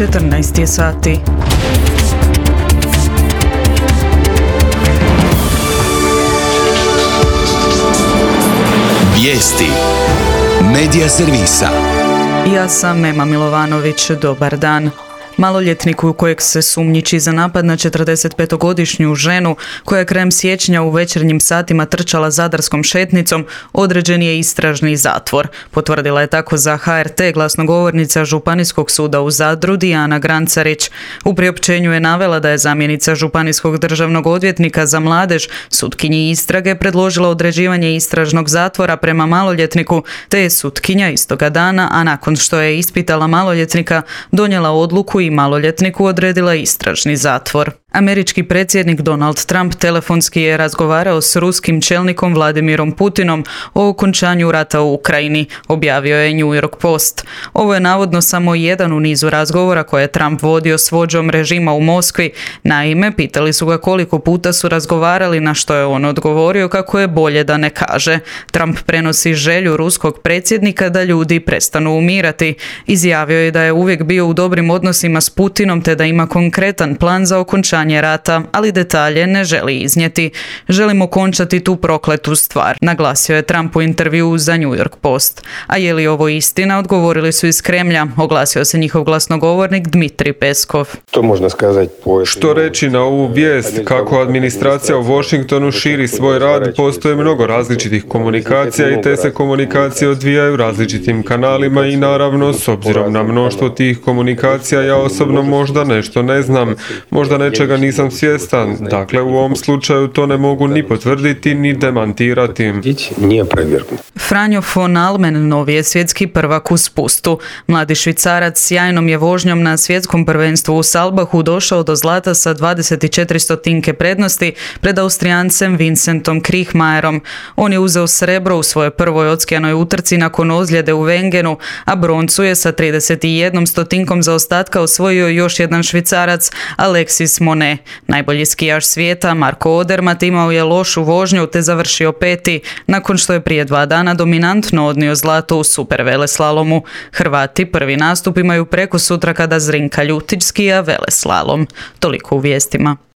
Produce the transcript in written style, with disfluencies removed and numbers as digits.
14 je sati. Vijesti Medija servisa. Ja sam Ema Milovanović, dobar dan. Maloljetnik u kojeg se sumnjiči za napad na 45-godišnju ženu koja je krajem siječnja u večernjim satima trčala zadarskom šetnicom, određen je istražni zatvor. Potvrdila je tako za HRT glasnogovornica Županijskog suda u Zadru Dijana Grancarić. U priopćenju je navela da je zamjenica Županijskog državnog odvjetnika za mladež sutkinji istrage predložila određivanje istražnog zatvora prema maloljetniku, te je sutkinja istoga dana, a nakon što je ispitala maloljetnika, donijela odluku i maloljetniku odredila istražni zatvor. Američki predsjednik Donald Trump telefonski je razgovarao s ruskim čelnikom Vladimirom Putinom o okončanju rata u Ukrajini, objavio je New York Post. Ovo je navodno samo jedan u nizu razgovora koje je Trump vodio s vođom režima u Moskvi. Naime, pitali su ga koliko puta su razgovarali, na što je on odgovorio kako je bolje da ne kaže. Trump prenosi želju ruskog predsjednika da ljudi prestanu umirati. Izjavio je da je uvijek bio u dobrim odnosima s Putinom te da ima konkretan plan za okončanje rata, ali detalje ne želi iznijeti. Želimo končati tu prokletu stvar, naglasio je Trump u intervjuu za New York Post. A je li ovo istina, odgovorili su iz Kremlja, oglasio se njihov glasnogovornik Dmitrij Peskov. Što reći na ovu vijest, kako administracija u Washingtonu širi svoj rad, postoje mnogo različitih komunikacija i te se komunikacije odvijaju različitim kanalima i naravno, s obzirom na mnoštvo tih komunikacija, ja osobno možda nešto ne znam, možda nečega nisam svjestan, dakle u ovom slučaju to ne mogu ni potvrditi ni demantirati. Franjo von Almen novi je svjetski prvak u spustu. Mladi Švicarac s sjajnom je vožnjom na svjetskom prvenstvu u Salbahu došao do zlata sa 24 stotinke prednosti pred Austrijancem Vincentom Kriechmayerom. On je uzeo srebro u svojoj prvoj odskijanoj utrci nakon ozljede u Wengenu, a broncu je sa 31 stotinkom zaostatka osvojio još jedan Švicarac, Alexis Monet. Najbolji skijaš svijeta, Marko Odermatt, imao je lošu vožnju te završio peti, nakon što je prije 2 dana dominantno odnio zlato u superveleslalomu. Hrvati prvi nastup imaju prekosutra kada Zrinka Ljutić skija veleslalom. Toliko u vijestima.